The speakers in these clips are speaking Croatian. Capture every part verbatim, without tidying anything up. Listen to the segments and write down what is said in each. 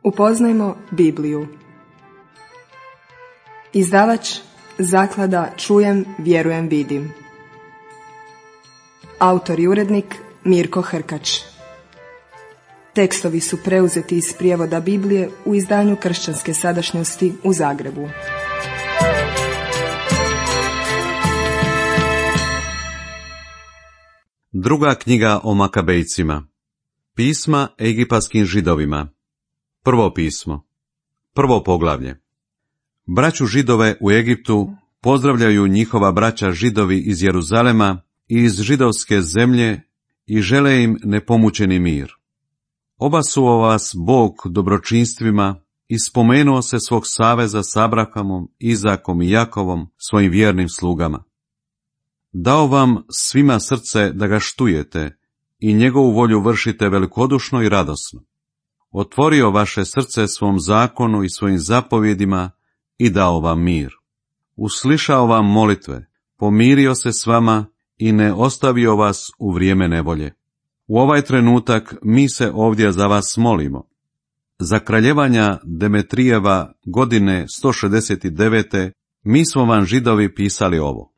Upoznajmo Bibliju. Izdavač Zaklada Čujem, vjerujem, vidim. Autor i urednik Mirko Hrkač. Tekstovi su preuzeti iz prijevoda Biblije u izdanju Kršćanske sadašnjosti u Zagrebu. Druga knjiga o Makabejcima. Pisma egipatskim židovima. Prvo pismo. Prvo poglavlje. Braću Židove u Egiptu pozdravljaju njihova braća Židovi iz Jeruzalema i iz židovske zemlje i žele im nepomućeni mir. Obasuo vas Bog dobročinstvima i spomenuo se svog saveza s Abrahamom, Izakom i Jakovom, svojim vjernim slugama. Dao vam svima srce da ga štujete i njegovu volju vršite velikodušno i radosno. Otvorio vaše srce svom zakonu i svojim zapovjedima i dao vam mir. Uslišao vam molitve, pomirio se s vama i ne ostavio vas u vrijeme nevolje. U ovaj trenutak mi se ovdje za vas molimo. Za kraljevanja Demetrijeva godine sto šezdeset devete mi smo vam Židovi pisali ovo.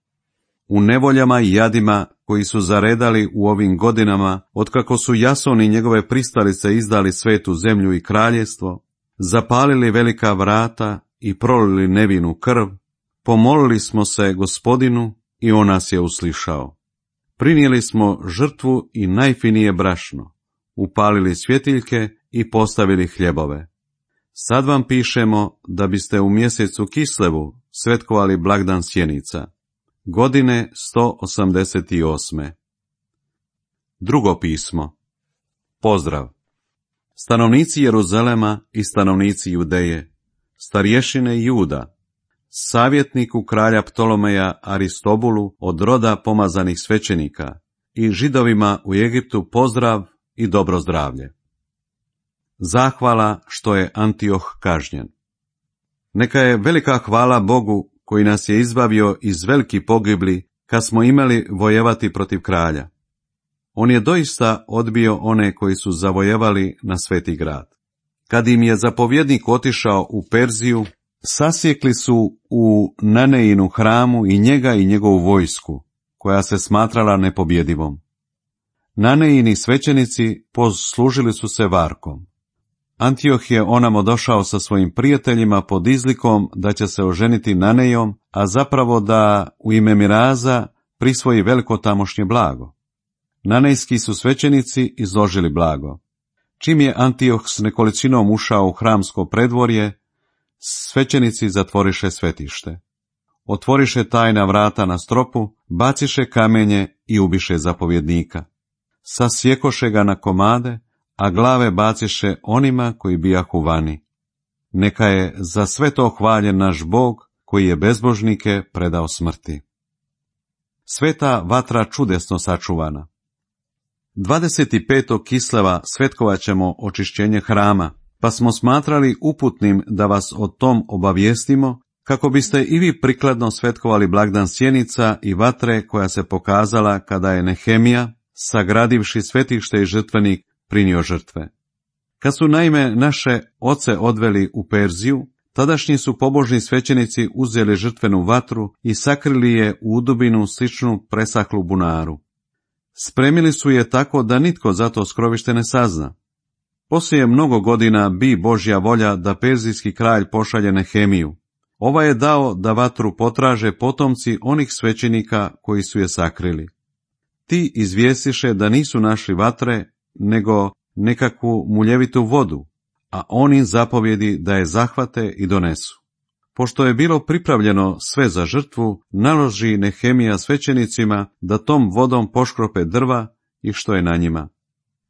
U nevoljama i jadima koji su zaredali u ovim godinama, otkako su Jason i njegove pristalice izdali svetu zemlju i kraljevstvo, zapalili velika vrata i prolili nevinu krv, pomolili smo se Gospodinu i on nas je uslišao. Prinijeli smo žrtvu i najfinije brašno, upalili svjetiljke i postavili hljebove. Sad vam pišemo da biste u mjesecu Kislevu svetkovali blagdan sjenica, godine sto osamdeset osme. Drugo pismo. Pozdrav. Stanovnici Jeruzalema i stanovnici Judeje, starješine Juda, savjetniku kralja Ptolomeja Aristobulu od roda pomazanih svećenika i Židovima u Egiptu pozdrav i dobro zdravlje. Zahvala što je Antioh kažnjen. Neka je velika hvala Bogu koji nas je izbavio iz velikih pogibli kad smo imali vojevati protiv kralja. On je doista odbio one koji su zavojevali na sveti grad. Kad im je zapovjednik otišao u Perziju, sasjekli su u Naneinu hramu i njega i njegovu vojsku, koja se smatrala nepobjedivom. Naneini svećenici poslužili su se varkom. Antioh je onamo došao sa svojim prijateljima pod izlikom da će se oženiti Nanejom, a zapravo da u ime miraza prisvoji veliko tamošnje blago. Nanejski su svećenici izložili blago. Čim je Antioh s nekolicinom ušao u hramsko predvorje, svećenici zatvoriše svetište. Otvoriše tajna vrata na stropu, baciše kamenje i ubiše zapovjednika. Sasjekoše ga na komade, a glave baciše onima koji bijahu vani. Neka je za sve to hvaljen naš Bog, koji je bezbožnike predao smrti. Sveta vatra čudesno sačuvana. dvadeset petog Kisleva svetkovat ćemo očišćenje hrama, pa smo smatrali uputnim da vas o tom obavijestimo, kako biste i vi prikladno svetkovali blagdan sjenica i vatre koja se pokazala kada je Nehemija, sagradivši svetište i žrtvenik, prinio žrtve. Kad su naime naše oce odveli u Perziju, tadašnji su pobožni svećenici uzeli žrtvenu vatru i sakrili je u udubinu sličnu presahlu bunaru. Spremili su je tako da nitko za to skrovište ne sazna. Poslije mnogo godina bi Božja volja da perzijski kralj pošalje Nehemiju. Ova je dao da vatru potraže potomci onih svećenika koji su je sakrili. Ti izvijestiše da nisu našli vatre, nego nekakvu muljevitu vodu, a on im zapovjedi da je zahvate i donesu. Pošto je bilo pripravljeno sve za žrtvu, naloži Nehemija svećenicima da tom vodom poškrope drva i što je na njima.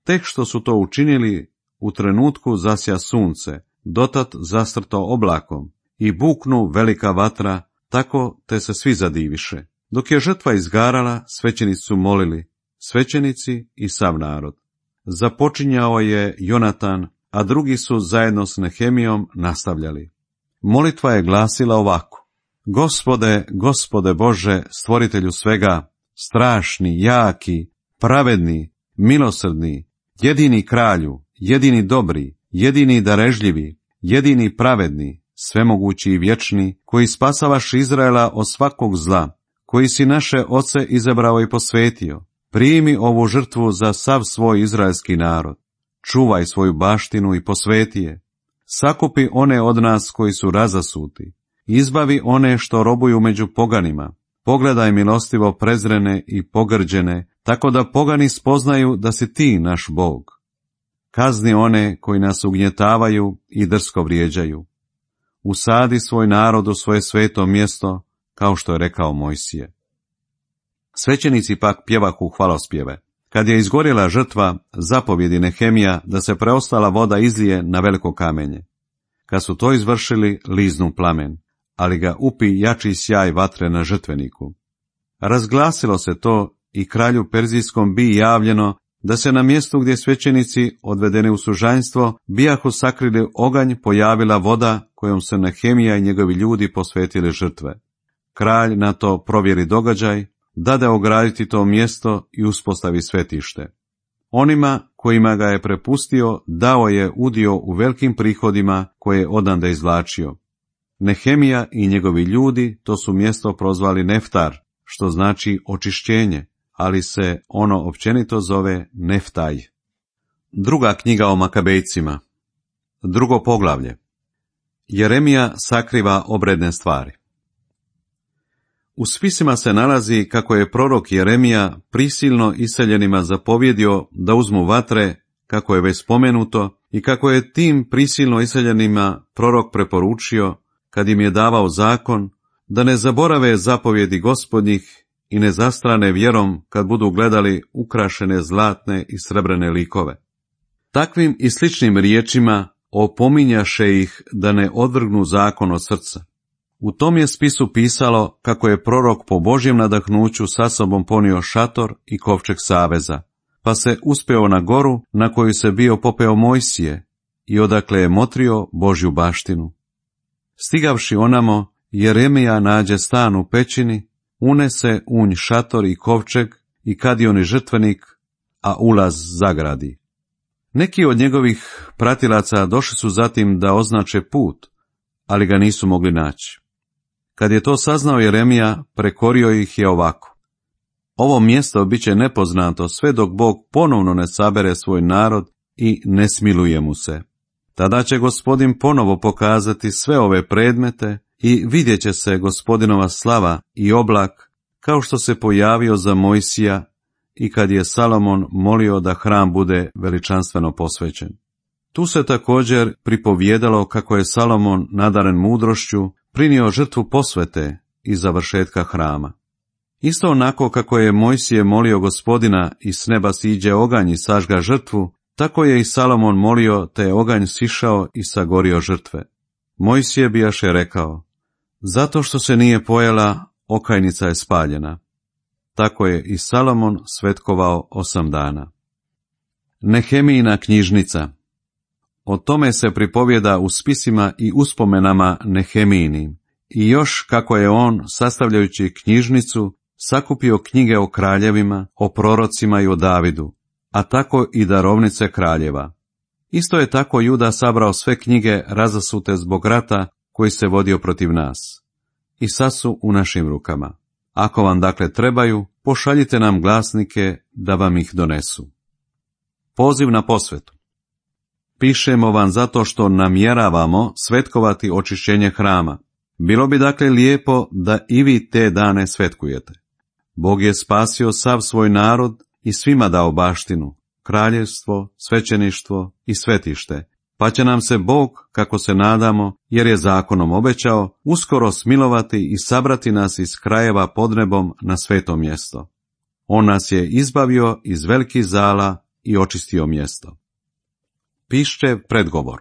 Tek što su to učinili, u trenutku zasja sunce, dotad zastrto oblakom, i buknu velika vatra, tako te se svi zadiviše. Dok je žrtva izgarala, svećenici su molili, svećenici i sav narod. Započinjao je Jonatan, a drugi su zajedno s Nehemijom nastavljali. Molitva je glasila ovako: Gospode, Gospode Bože, stvoritelju svega, strašni, jaki, pravedni, milosrdni, jedini kralju, jedini dobri, jedini darežljivi, jedini pravedni, svemogući i vječni, koji spasavaš Izraela od svakog zla, koji si naše oce izabrao i posvetio, primi ovu žrtvu za sav svoj izraelski narod. Čuvaj svoju baštinu i posveti je. Sakupi one od nas koji su razasuti. Izbavi one što robuju među poganima. Pogledaj milostivo prezrene i pogrđene, tako da pogani spoznaju da si ti naš Bog. Kazni one koji nas ugnjetavaju i drsko vrijeđaju. Usadi svoj narod u svoje sveto mjesto, kao što je rekao Mojsije. Svećenici pak pjevahu hvalospjeve. Kad je izgorjela žrtva, zapovjedi Nehemija da se preostala voda izlije na veliko kamenje. Kad su to izvršili, liznu plamen, ali ga upi jači sjaj vatre na žrtveniku. Razglasilo se to i kralju Perzijskom bi javljeno da se na mjestu gdje svećenici, odvedeni u sužanjstvo, bijahu sakrili oganj, pojavila voda kojom se Nehemija i njegovi ljudi posvetili žrtve. Kralj na to provjeri događaj, dade ograditi to mjesto i uspostavi svetište. Onima kojima ga je prepustio dao je udio u velikim prihodima koje je odande izvlačio. Nehemija i njegovi ljudi to su mjesto prozvali Neftar, što znači očišćenje, ali se ono općenito zove Neftaj. Druga knjiga o Makabejcima. Drugo poglavlje. Jeremija sakriva obredne stvari. U spisima se nalazi kako je prorok Jeremija prisilno iseljenima zapovjedio da uzmu vatre, kako je već spomenuto, i kako je tim prisilno iseljenima prorok preporučio, kad im je davao zakon, da ne zaborave zapovjedi Gospodnjih i ne zastrane vjerom kad budu gledali ukrašene zlatne i srebrene likove. Takvim i sličnim riječima opominjaše ih da ne odvrgnu zakon od srca. U tom je spisu pisalo kako je prorok po Božjem nadahnuću sa sobom ponio šator i kovčeg saveza, pa se uspeo na goru na koju se bio popeo Mojsije i odakle je motrio Božju baštinu. Stigavši onamo, Jeremija nađe stan u pećini, unese unj šator i kovčeg i kadioni žrtvenik, a ulaz zagradi. Neki od njegovih pratilaca došli su zatim da označe put, ali ga nisu mogli naći. Kad je to saznao Jeremija, prekorio ih je ovako. Ovo mjesto bit će nepoznato sve dok Bog ponovno ne sabere svoj narod i ne smiluje mu se. Tada će Gospodin ponovo pokazati sve ove predmete i vidjet će se Gospodinova slava i oblak, kao što se pojavio za Mojsija i kad je Salomon molio da hram bude veličanstveno posvećen. Tu se također pripovjedalo kako je Salomon, nadaren mudrošću, prinio žrtvu posvete i završetka hrama. Isto onako kako je Mojsije molio Gospodina i s neba siđe oganj i sažga žrtvu, tako je i Salomon molio, te je oganj sišao i sagorio žrtve. Mojsije bijaše rekao, zato što se nije pojela, okajnica je spaljena. Tako je i Salomon svetkovao osam dana. Nehemijina knjižnica. O tome se pripovjeda u spisima i uspomenama Nehemijinim, i još kako je on, sastavljajući knjižnicu, sakupio knjige o kraljevima, o prorocima i o Davidu, a tako i darovnice kraljeva. Isto je tako Juda sabrao sve knjige razasute zbog rata koji se vodio protiv nas. I sad su u našim rukama. Ako vam dakle trebaju, pošaljite nam glasnike da vam ih donesu. Poziv na posvetu. Pišemo vam zato što namjeravamo svetkovati očišćenje hrama. Bilo bi dakle lijepo da i vi te dane svetkujete. Bog je spasio sav svoj narod i svima dao baštinu, kraljevstvo, svećeništvo i svetište, pa će nam se Bog, kako se nadamo, jer je zakonom obećao, uskoro smilovati i sabrati nas iz krajeva pod nebom na sveto mjesto. On nas je izbavio iz velikih zala i očistio mjesto. Pišće predgovor.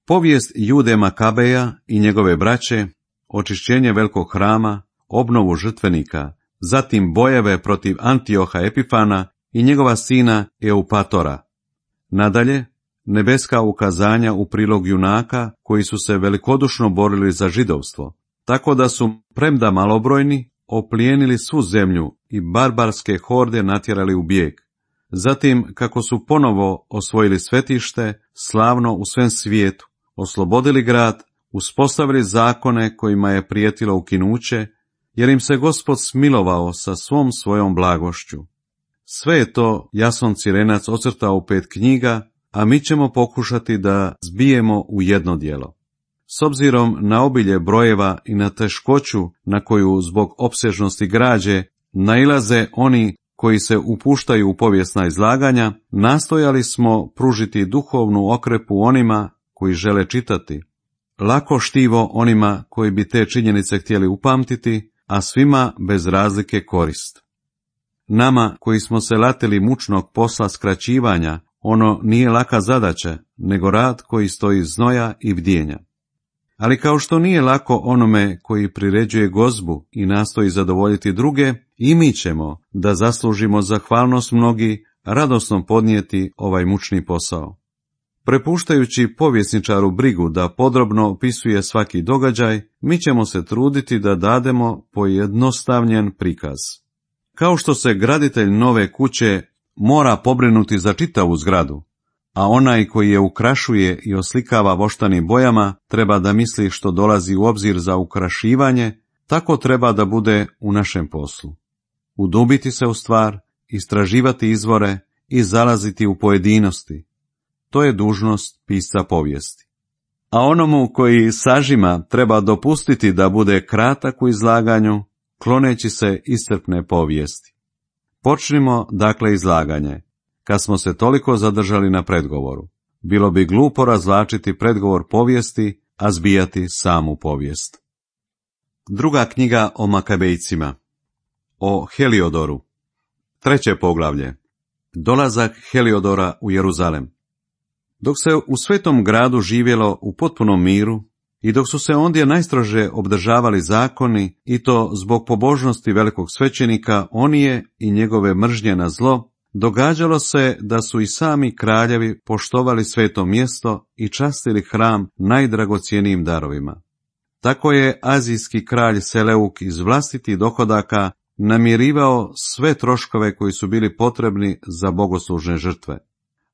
Povijest Jude Makabeja i njegove braće, očišćenje velikog hrama, obnovu žrtvenika, zatim bojeve protiv Antioha Epifana i njegova sina Eupatora. Nadalje, nebeska ukazanja u prilog junaka koji su se velikodušno borili za židovstvo, tako da su, premda malobrojni, oplijenili svu zemlju i barbarske horde natjerali u bijeg. zatim kako su ponovo osvojili svetište, slavno u svem svijetu, oslobodili grad, uspostavili zakone kojima je prijetilo ukinuće, jer im se Gospod smilovao sa svom svojom blagošću. Sve je to Jason Cirenac ocrtao u pet knjiga, a mi ćemo pokušati da zbijemo u jedno djelo. S obzirom na obilje brojeva i na teškoću na koju zbog opsežnosti građe nailaze oni koji se upuštaju u povijesna izlaganja, nastojali smo pružiti duhovnu okrepu onima koji žele čitati, lako štivo onima koji bi te činjenice htjeli upamtiti, a svima bez razlike korist. Nama koji smo se latili mučnog posla skraćivanja, ono nije laka zadaća, nego rad koji stoji znoja i bdjenja. Ali kao što nije lako onome koji priređuje gozbu i nastoji zadovoljiti druge, i mi ćemo, da zaslužimo zahvalnost mnogi, radosno podnijeti ovaj mučni posao. Prepuštajući povjesničaru brigu da podrobno opisuje svaki događaj, mi ćemo se truditi da dademo pojednostavljen prikaz. Kao što se graditelj nove kuće mora pobrinuti za čitavu zgradu, a onaj koji je ukrašuje i oslikava voštanim bojama treba da misli što dolazi u obzir za ukrašivanje, tako treba da bude u našem poslu. Udubiti se u stvar, istraživati izvore i zalaziti u pojedinosti. To je dužnost pisca povijesti. A onomu koji sažima treba dopustiti da bude kratak u izlaganju, kloneći se iscrpne povijesti. Počnimo dakle izlaganje. Kad smo se toliko zadržali na predgovoru, bilo bi glupo razvlačiti predgovor povijesti, a zbijati samu povijest. Druga knjiga o Makabejcima. O Heliodoru. Treće poglavlje. Dolazak Heliodora u Jeruzalem. Dok se u svetom gradu živjelo u potpunom miru i dok su se ondje najstrože obdržavali zakoni, i to zbog pobožnosti velikog svećenika Onije i njegove mržnje na zlo, događalo se da su i sami kraljevi poštovali sveto mjesto i častili hram najdragocjenijim darovima. Tako je azijski kralj Seleuk iz vlastitih dohodaka namirivao sve troškove koji su bili potrebni za bogoslužne žrtve.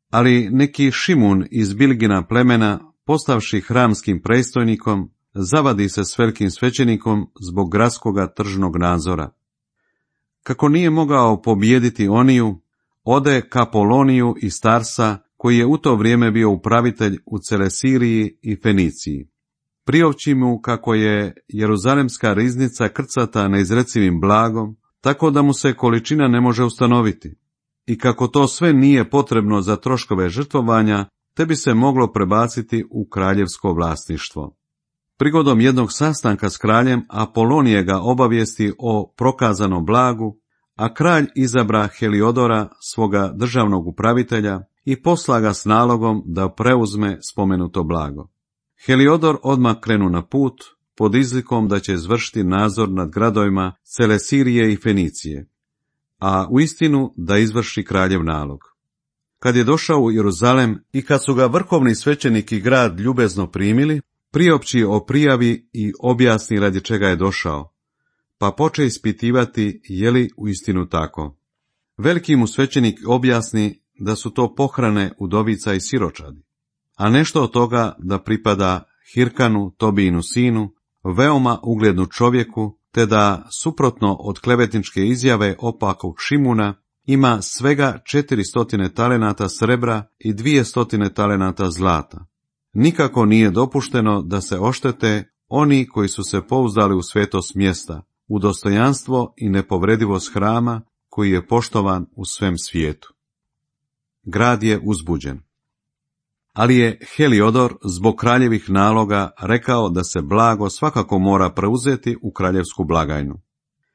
Ali neki Šimun iz Bilgina plemena, postavši hramskim predstojnikom, zavadi se s velikim svećenikom zbog gradskoga tržnog nadzora. Kako nije mogao pobijediti Oniju, ode ka Poloniju iz Tarsa, koji je u to vrijeme bio upravitelj u Celesiriji i Feniciji. Priopći mu kako je jeruzalemska riznica krcata neizrecivim blagom, tako da mu se količina ne može ustanoviti, i kako to sve nije potrebno za troškove žrtvovanja, te bi se moglo prebaciti u kraljevsko vlasništvo. Prigodom jednog sastanka s kraljem, Apolonije ga obavijesti o prokazanom blagu, a kralj izabra Heliodora, svoga državnog upravitelja, i posla ga s nalogom da preuzme spomenuto blago. Heliodor odmah krenu na put, pod izlikom da će izvršiti nadzor nad gradovima Celesirije i Fenicije, a uistinu da izvrši kraljev nalog. Kad je došao u Jeruzalem i kad su ga vrhovni svećenik i grad ljubezno primili, priopći o prijavi i objasni radi čega je došao, pa poče ispitivati je li uistinu tako. Veliki mu svećenik objasni da su to pohrane udovica i siročadi, a nešto od toga da pripada Hirkanu, Tobijinu sinu, veoma uglednu čovjeku, te da, suprotno od klevetničke izjave opakog Šimuna, ima svega četiristotine talenata srebra i dvijestotine talenata zlata. Nikako nije dopušteno da se oštete oni koji su se pouzdali u svetost mjesta, u dostojanstvo i nepovredivost hrama koji je poštovan u svem svijetu. Grad je uzbuđen. Ali je Heliodor zbog kraljevih naloga rekao da se blago svakako mora preuzeti u kraljevsku blagajnu.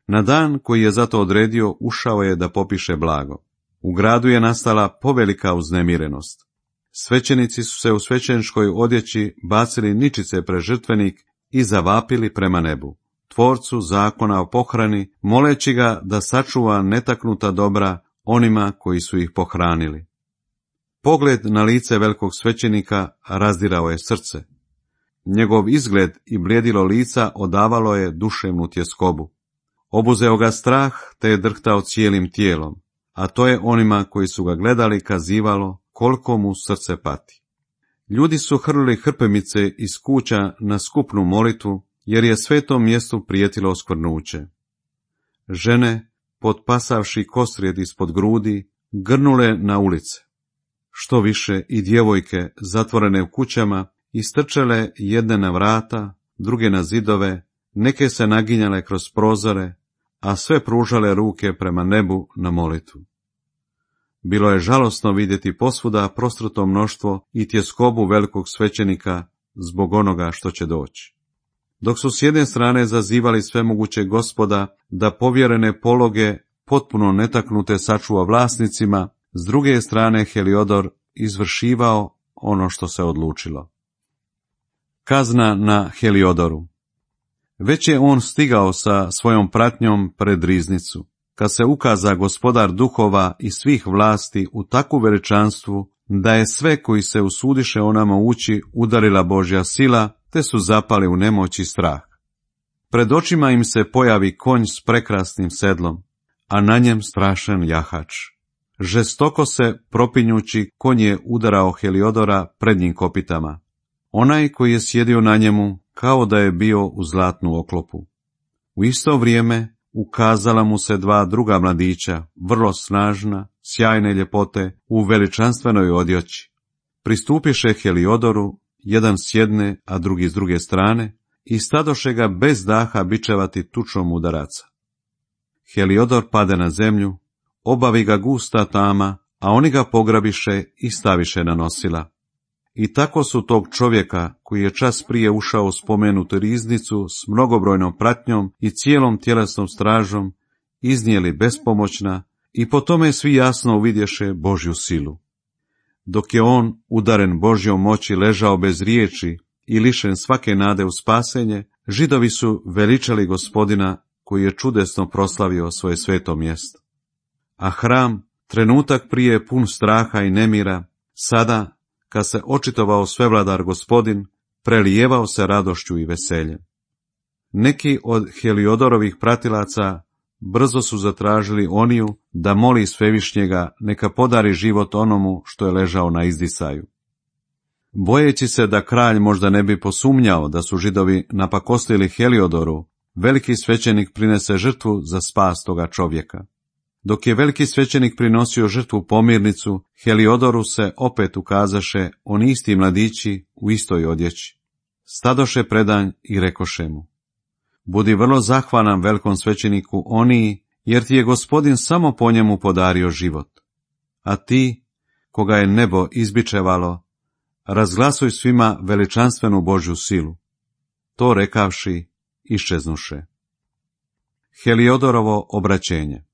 Na dan koji je zato odredio ušao je da popiše blago. U gradu je nastala povelika uznemirenost. Svećenici su se u svećeničkoj odjeći bacili ničice pred žrtvenik i zavapili prema nebu, tvorcu zakona o pohrani, moleći ga da sačuva netaknuta dobra onima koji su ih pohranili. Pogled na lice velikog svećenika razdirao je srce. Njegov izgled i bljedilo lica odavalo je duševnu tjeskobu. Obuzeo ga strah, te je drhtao cijelim tijelom, a to je onima koji su ga gledali kazivalo koliko mu srce pati. Ljudi su hrlili hrpemice iz kuća na skupnu molitvu, jer je svetom mjestu prijetilo oskvrnuće. Žene, potpasavši kostrijed ispod grudi, grnule na ulice. Što više i djevojke, zatvorene u kućama, istrčale jedne na vrata, druge na zidove, neke se naginjale kroz prozore, a sve pružale ruke prema nebu na molitvu. Bilo je žalosno vidjeti posvuda prostruto mnoštvo i tjeskobu velikog svećenika zbog onoga što će doći. Dok su s jedne strane zazivali svemoguće Gospoda da povjerene pologe potpuno netaknute sačuva vlasnicima, s druge strane Heliodor izvršivao ono što se odlučilo. Kazna na Heliodoru. Već je on stigao sa svojom pratnjom pred riznicu, kad se ukaza gospodar duhova i svih vlasti u takvu veličanstvu, da je sve koji se usudiše o nama ući udarila Božja sila, te su zapali u nemoć i strah. Pred očima im se pojavi konj s prekrasnim sedlom, a na njem strašan jahač. Žestoko se propinjući konj je udarao Heliodora prednjim kopitama. Onaj koji je sjedio na njemu kao da je bio u zlatnu oklopu. U isto vrijeme ukazala mu se dva druga mladića, vrlo snažna, sjajne ljepote, u veličanstvenoj odjeći. Pristupiše Heliodoru, jedan s jedne, a drugi s druge strane, i stadoše ga bez daha bičevati tučom udaraca. Heliodor pade na zemlju, obavi ga gusta tama, a oni ga pograbiše i staviše na nosila. I tako su tog čovjeka, koji je čas prije ušao u spomenutu riznicu s mnogobrojnom pratnjom i cijelom tjelesnom stražom, iznijeli bespomoćna i po tome svi jasno uvidješe Božju silu. Dok je on, udaren Božjom moći, ležao bez riječi i lišen svake nade u spasenje, Židovi su veličali Gospodina koji je čudesno proslavio svoje sveto mjesto. A hram, trenutak prije pun straha i nemira, sada, kad se očitovao svevladar Gospodin, prelijevao se radošću i veseljem. Neki od Heliodorovih pratilaca brzo su zatražili Oniju da moli Svevišnjega neka podari život onomu što je ležao na izdisaju. Bojeći se da kralj možda ne bi posumnjao da su Židovi napakostili Heliodoru, veliki svećenik prinese žrtvu za spas toga čovjeka. Dok je veliki svećenik prinosio žrtvu pomirnicu, Heliodoru se opet ukazaše oni isti mladići u istoj odjeći. Stadoše predanj i rekoše mu: Budi vrlo zahvalan velikom svećeniku Oniji, jer ti je Gospodin samo po njemu podario život. A ti, koga je nebo izbičevalo, razglasuj svima veličanstvenu Božju silu. To rekavši, iščeznuše. Heliodorovo obraćenje.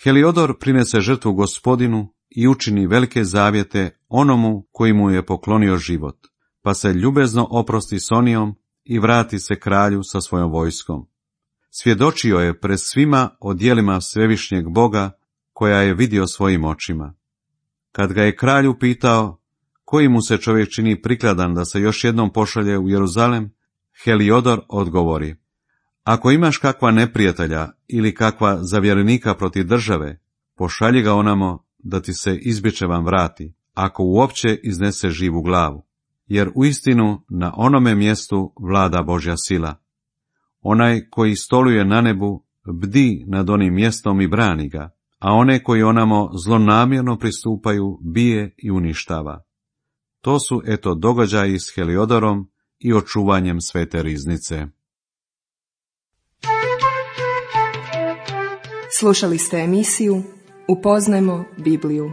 Heliodor prinese žrtvu Gospodinu i učini velike zavjete onomu koji mu je poklonio život, pa se ljubezno oprosti s Onijom i vrati se kralju sa svojom vojskom. Svjedočio je pred svima o djelima svevišnjeg Boga koja je vidio svojim očima. Kad ga je kralj upitao koji mu se čovjek čini prikladan da se još jednom pošalje u Jeruzalem, Heliodor odgovori: Ako imaš kakva neprijatelja ili kakva zavjerenika protiv države, pošalji ga onamo da ti se izbičevan vrati, ako uopće iznese živu glavu, jer uistinu na onome mjestu vlada Božja sila. Onaj koji stoluje na nebu bdi nad onim mjestom i brani ga, a one koji onamo zlonamjerno pristupaju bije i uništava. To su eto događaji s Heliodorom i očuvanjem svete riznice. Slušali ste emisiju Upoznajmo Bibliju.